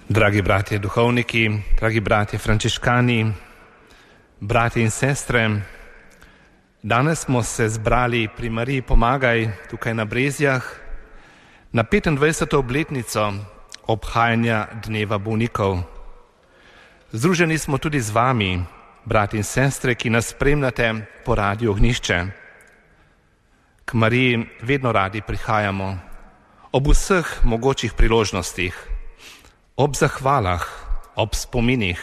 Dragi bratje duhovniki, dragi bratje frančiškani, bratje in sestre, danes smo se zbrali pri Mariji Pomagaj tukaj na Brezjah na 25. obletnico obhajanja Dneva bolnikov. Združeni smo tudi z vami, bratje in sestre, ki nas spremljate po Radiu Ognjišče. K Mariji vedno radi prihajamo ob vseh mogočih priložnostih, ob zahvalah, ob spominih,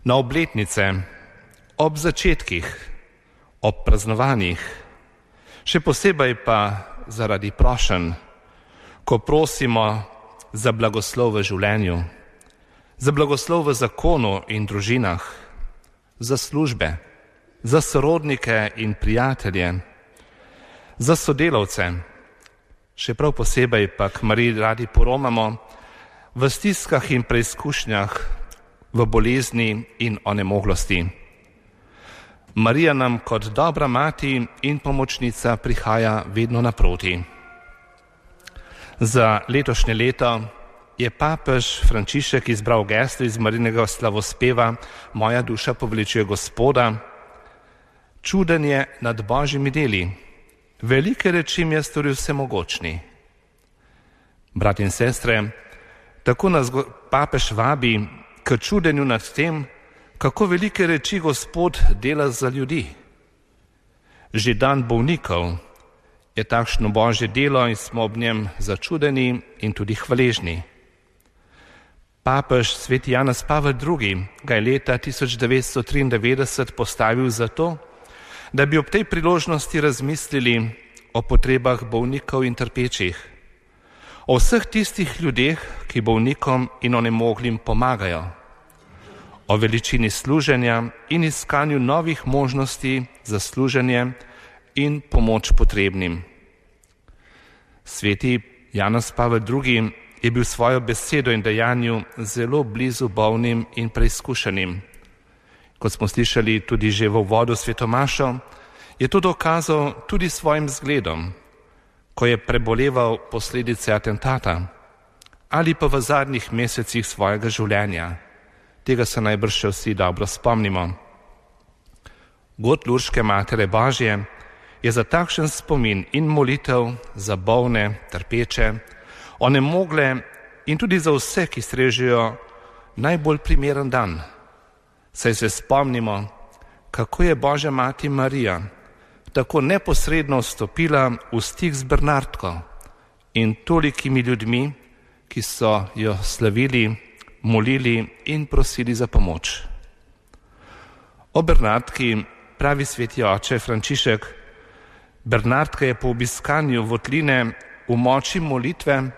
na obletnice, ob začetkih, ob praznovanjih, še posebej pa zaradi prošenj, ko prosimo za blagoslov v življenju, za blagoslov v zakonu in družinah, za službe, za sorodnike in prijatelje, za sodelavce, še prav posebej pa k Mariji radi poromamo v stiskah in preizkušnjah, v bolezni in onemoglosti. Marija nam kot dobra mati in pomočnica prihaja vedno naproti. Za letošnje leto je papež Frančišek izbral geslo iz Marijinega slavospeva Moja duša poveličuje Gospoda. Čuden je nad Božjimi deli, velike reči mi je storil vsemogočni. Bratje in sestre, tako nas papež vabi k čudenju nad tem, kako velike reči Gospod dela za ljudi. Že dan bolnikov je takšno Božje delo in smo ob njem začudeni in tudi hvaležni. Papež sveti Janez Pavel II. Ga je leta 1993 postavil zato, da bi ob tej priložnosti razmislili o potrebah bolnikov in trpečih, o vseh tistih ljudeh, ki bolnikom in onemoglim pomagajo, o veličini služenja in iskanju novih možnosti za služenje in pomoč potrebnim. Sveti Janez Pavel II. Je bil svojo besedo in dejanju zelo blizu bolnim in preizkušenim. Kot smo slišali tudi že v uvodu svetomašo, je to dokazal tudi svojim zgledom, ko je preboleval posledice atentata ali pa v zadnjih mesecih svojega življenja. Tega se najbrž še vsi dobro spomnimo. God Lurške Matere Božje je za takšen spomin in molitev za bolne, trpeče, onemogle in tudi za vse, ki strežijo najbolj primeren dan. Saj se spomnimo, kako je Božja mati Marija tako neposredno vstopila v stik z Bernardko in tolikimi ljudmi, ki so jo slavili, molili in prosili za pomoč. O Bernardki pravi sveti oče Frančišek: Bernardka je po obiskanju votline v moči molitve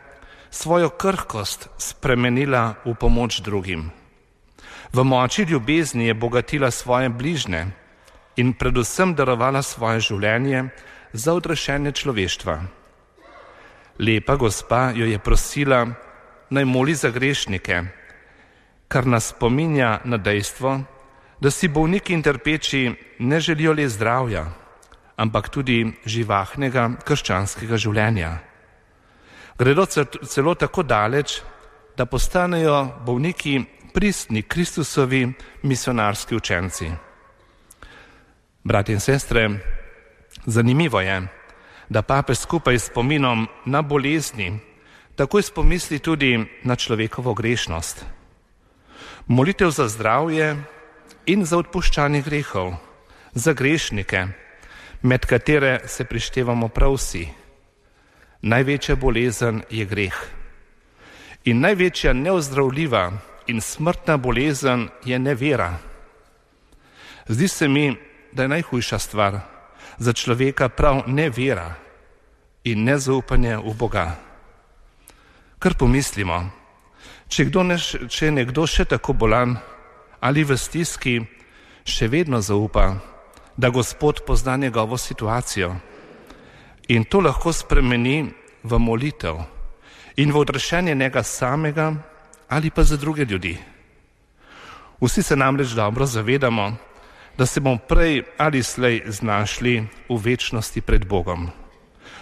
svojo krhkost spremenila v pomoč drugim. V moči ljubezni je bogatila svoje bližne in predvsem darovala svoje življenje za odrešenje človeštva. Lepa gospa jo je prosila, naj moli za grešnike, kar nas spominja na dejstvo, da si bolniki in trpeči ne želijo le zdravja, ampak tudi živahnega krščanskega življenja. Gredo celo tako daleč, da postanejo bolniki pristni Kristusovi misionarski učenci. Bratje in sestre, zanimivo je, da papež skupaj s spominom na bolezni takoj spomisli tudi na človekovo grešnost. Molitev za zdravje in za odpuščanje grehov, za grešnike, med katere se prištevamo prav vsi. Največja bolezen je greh. In največja neozdravljiva in smrtna bolezen je nevera. Zdi se mi, da je najhujša stvar za človeka prav nevera in nezaupanje v Boga. Kar pomislimo, če je nekdo še tako bolan ali v stiski, še vedno zaupa, da Gospod pozna njegovo situacijo. In to lahko spremeni v molitev in v odrešenje njega samega ali pa za druge ljudi. Vsi se namreč dobro zavedamo, da se bomo prej ali slej znašli v večnosti pred Bogom.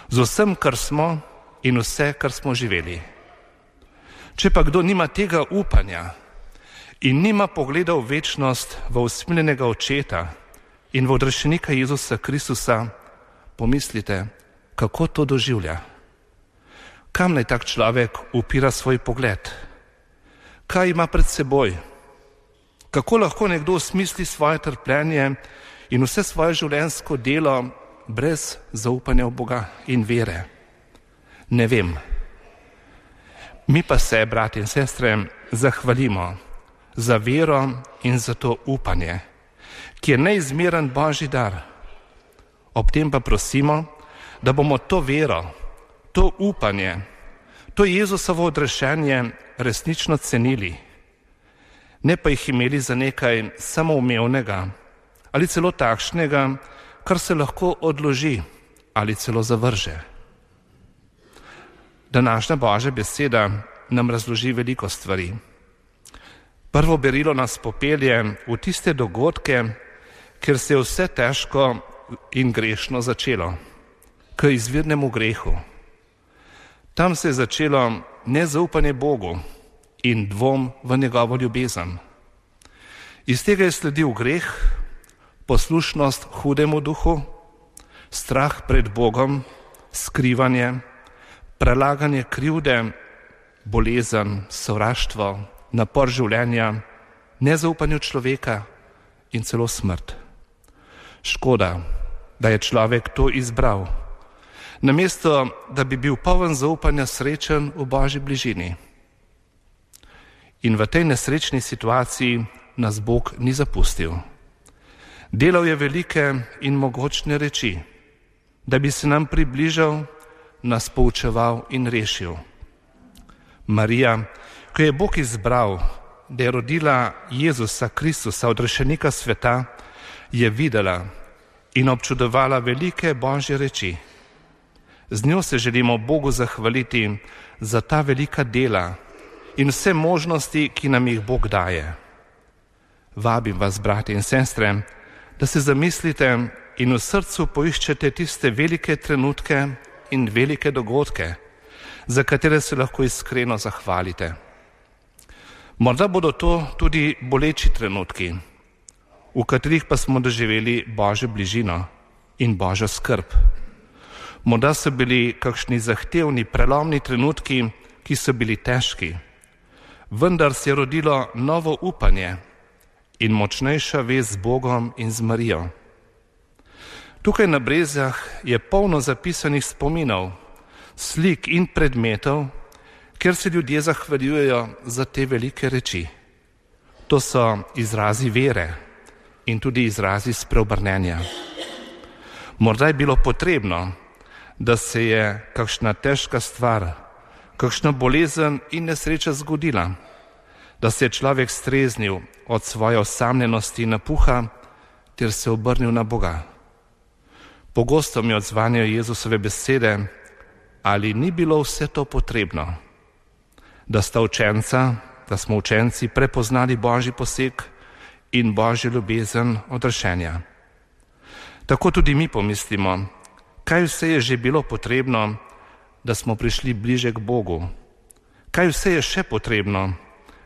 Z vsem, kar smo in vse, kar smo živeli. Če pa kdo nima tega upanja in nima pogleda v večnost, v usmiljenega očeta in v odrešenika Jezusa Kristusa, pomislite, kako to doživlja. Kam naj tak človek upira svoj pogled? Kaj ima pred seboj? Kako lahko nekdo smisli svoje trpljenje in vse svoje življenjsko delo brez zaupanja v Boga in vere? Ne vem. Mi pa se, brati in sestre, zahvalimo za vero in za to upanje, ki je neizmeren Božji dar. Ob tem pa prosimo, da bomo to vero, to upanje, to Jezusovo odrešenje resnično cenili, ne pa jih imeli za nekaj samoumevnega ali celo takšnega, kar se lahko odloži ali celo zavrže. Današnja Božja beseda nam razloži veliko stvari. Prvo berilo nas popelje v tiste dogodke, kjer se je vse težko in grešno začelo, k izvirnemu grehu. Tam se je začelo nezaupanje Bogu in dvom v njegovo ljubezen. Iz tega je sledil greh, poslušnost hudemu duhu, strah pred Bogom, skrivanje, prelaganje krivde, bolezen, sovraštvo, napor življenja, nezaupanje človeka in celo smrt. Škoda, da je človek to izbral, namesto da bi bil poln zaupanja srečen v Božji bližini. In v tej nesrečni situaciji nas Bog ni zapustil. Delal je velike in mogočne reči, da bi se nam približal, nas poučeval in rešil. Marija, ko je Bog izbral, da je rodila Jezusa Kristusa, odrešenika sveta, je videla in občudovala velike Božje reči. Z njo se želimo Bogu zahvaliti za ta velika dela in vse možnosti, ki nam jih Bog daje. Vabim vas, brati in sestre, da se zamislite in v srcu poiščete tiste velike trenutke in velike dogodke, za katere se lahko iskreno zahvalite. Morda bodo to tudi boleči trenutki, v katerih pa smo doživeli Božjo bližino in Božjo skrb. Morda so bili kakšni zahtevni, prelomni trenutki, ki so bili težki, vendar se je rodilo novo upanje in močnejša vez z Bogom in z Marijo. Tukaj na Brezjah je polno zapisanih spominov, slik in predmetov, kjer se ljudje zahvaljujejo za te velike reči. To so izrazi vere in tudi izrazi spreobrnenja. Morda je bilo potrebno, da se je kakšna težka stvar, kakšna bolezen in nesreča zgodila, da se je človek streznil od svoje osamljenosti in napuha ter se obrnil na Boga. Pogosto mi odzvanjajo Jezusove besede, ali ni bilo vse to potrebno, da smo učenci prepoznali Božji poseg in Božjo ljubezen odrešenja. Tako tudi mi pomislimo, kaj vse je že bilo potrebno, da smo prišli bliže k Bogu, kaj vse je še potrebno,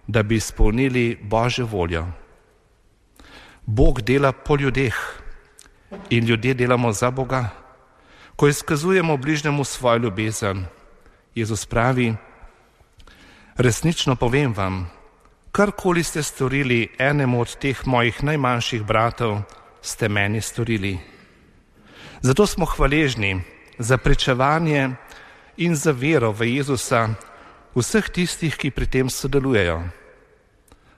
da bi izpolnili Božjo voljo. Bog dela po ljudeh in ljudje delamo za Boga. Ko izkazujemo bližnjemu svojo ljubezen, Jezus pravi, resnično povem vam, karkoli ste storili enemu od teh mojih najmanjših bratov, ste meni storili. Zato smo hvaležni za pričevanje in za vero v Jezusa vseh tistih, ki pri tem sodelujejo.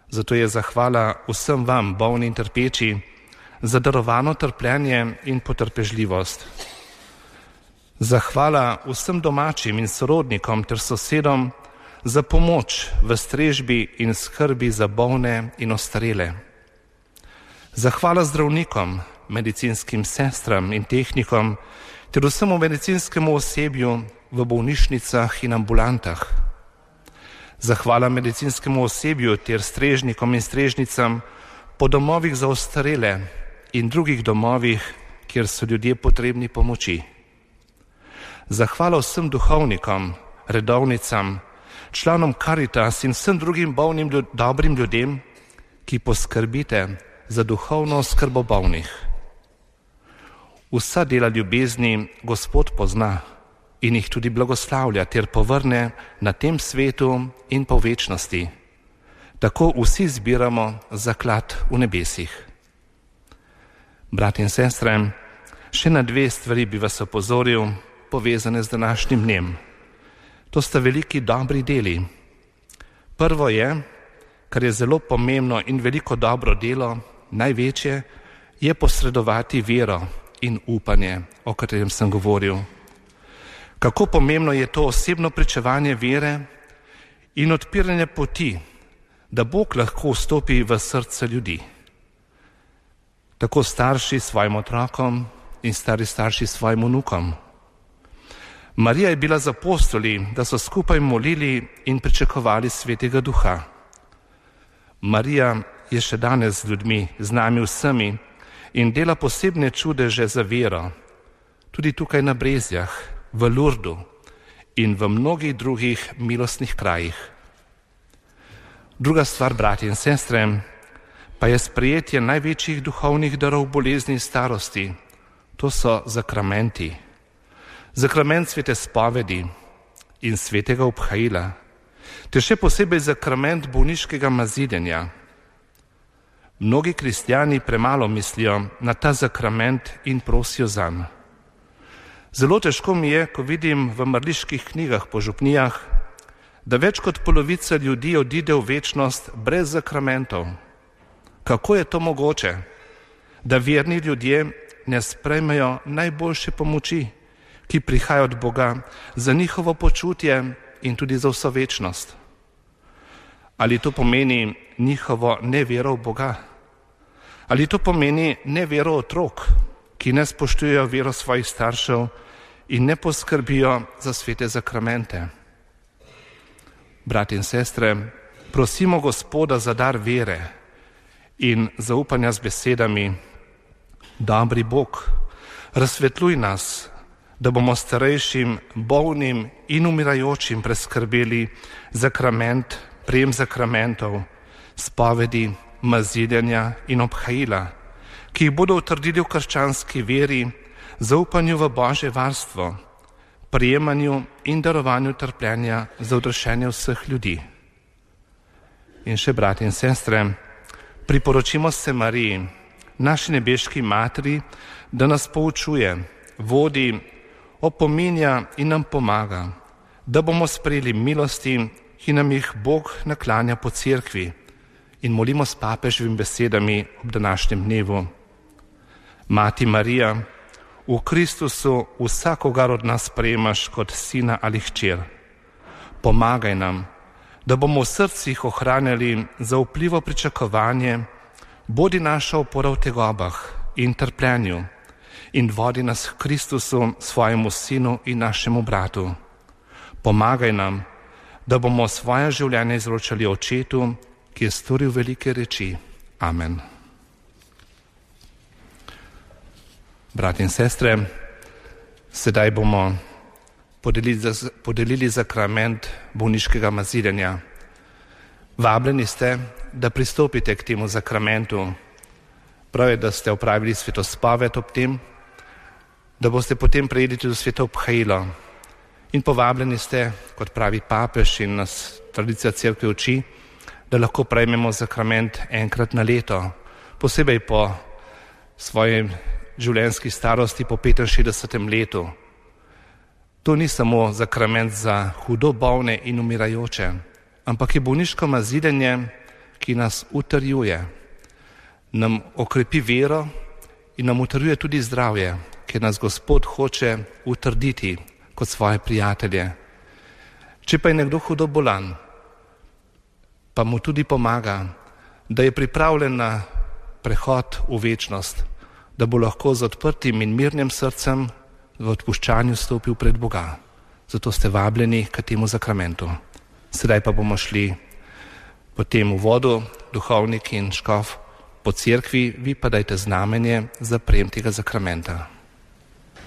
Zato je zahvala vsem vam, bolni in trpeči, za darovano trpljenje in potrpežljivost. Zahvala vsem domačim in sorodnikom ter sosedom za pomoč v strežbi in skrbi za bolne in ostarele. Zahvala zdravnikom, medicinskim sestram in tehnikom ter vsemu medicinskemu osebju v bolnišnicah in ambulantah. Zahvala medicinskemu osebju ter strežnikom in strežnicam po domovih za ostarele in drugih domovih, kjer so ljudje potrebni pomoči. Zahvala vsem duhovnikom, redovnicam članom Caritas in vsem drugim bolnim dobrim ljudem, ki poskrbite za duhovno oskrbo bolnih. Vsa dela ljubezni Gospod pozna in jih tudi blagoslavlja ter povrne na tem svetu in po večnosti. Tako vsi zbiramo zaklad v nebesih. Brat in sestre, še na 2 stvari bi vas opozoril, povezane z današnjim dnem. To sta veliki dobri deli. Prvo je, kar je zelo pomembno in veliko dobro delo, največje, je posredovati vero in upanje, o katerem sem govoril. Kako pomembno je to osebno pričevanje vere in odpiranje poti, da Bog lahko vstopi v srce ljudi. Tako starši svojim otrokom in stari starši svojim vnukom. Marija je bila z apostoli, da so skupaj molili in pričakovali Svetega Duha. Marija je še danes z ljudmi, z nami vsemi in dela posebne čudeže za vero, tudi tukaj na Brezjah, v Lurdu in v mnogih drugih milostnih krajih. Druga stvar, bratje in sestre, pa je sprejetje največjih duhovnih darov bolezni in starosti. To so zakramenti. Zakrament svete spovedi in svetega obhajila, ter še posebej zakrament bolniškega maziljenja. Mnogi kristjani premalo mislijo na ta zakrament in prosijo zanj. Zelo težko mi je, ko vidim v mrliških knjigah po župnijah, da več kot polovica ljudi odide v večnost brez zakramentov. Kako je to mogoče, da verni ljudje ne sprejmejo najboljše pomoči, ki prihaja od Boga za njihovo počutje in tudi za vso večnost? Ali to pomeni njihovo nevero v Boga? Ali to pomeni nevero otrok, ki ne spoštujejo vero svojih staršev in ne poskrbijo za svete zakramente? Bratje in sestre, prosimo Gospoda za dar vere in zaupanja z besedami: Dobri Bog, razsvetluj nas, da bomo starejšim, bolnim in umirajočim preskrbeli zakrament, prejem zakramentov, spovedi, maziljenja in obhajila, ki jih bodo utrdili v krščanski veri, zaupanju v Božje varstvo, prijemanju in darovanju trpljenja za odrešenje vseh ljudi. In še, bratje in sestre, priporočimo se Mariji, naši nebeški materi, da nas poučuje, vodi, opominja in nam pomaga, da bomo sprejeli milosti, ki nam jih Bog naklanja po cerkvi, in molimo s papeževimi besedami ob današnjem dnevu. Mati Marija, v Kristusu vsakogar od nas sprejemaš kot sina ali hčer. Pomagaj nam, da bomo v srcih ohranjali zaupljivo pričakovanje, bodi naša opora v tegobah in trpljenju in vodi nas k Kristusu, svojemu sinu in našemu bratu. Pomagaj nam, da bomo svoje življenje izročali Očetu, ki je storil velike reči. Amen. Bratje in sestre, sedaj bomo podelili zakrament bolniškega maziljenja. Vabljeni ste, da pristopite k temu zakramentu. Prav je, da ste opravili svetospoved ob tem, da boste potem prejeli tudi sveto obhajilo. In povabljeni ste, kot pravi papež in nas tradicija cerkve uči, da lahko prejmemo zakrament enkrat na leto, posebej po svoji življenjski starosti, po 65. letu. To ni samo zakrament za hudo bolne in umirajoče, ampak je bolniško maziljenje, ki nas utrjuje, nam okrepi vero in nam utrjuje tudi zdravje, ker nas Gospod hoče utrditi kot svoje prijatelje. Če pa je nekdo hudo bolan, pa mu tudi pomaga, da je pripravljen na prehod v večnost, da bo lahko z odprtim in mirnim srcem v odpuščanju stopil pred Boga. Zato ste vabljeni k temu zakramentu. Sedaj pa bomo šli po tem uvodu, duhovnik in škof po cerkvi, vi pa dajte znamenje za prejem tega zakramenta.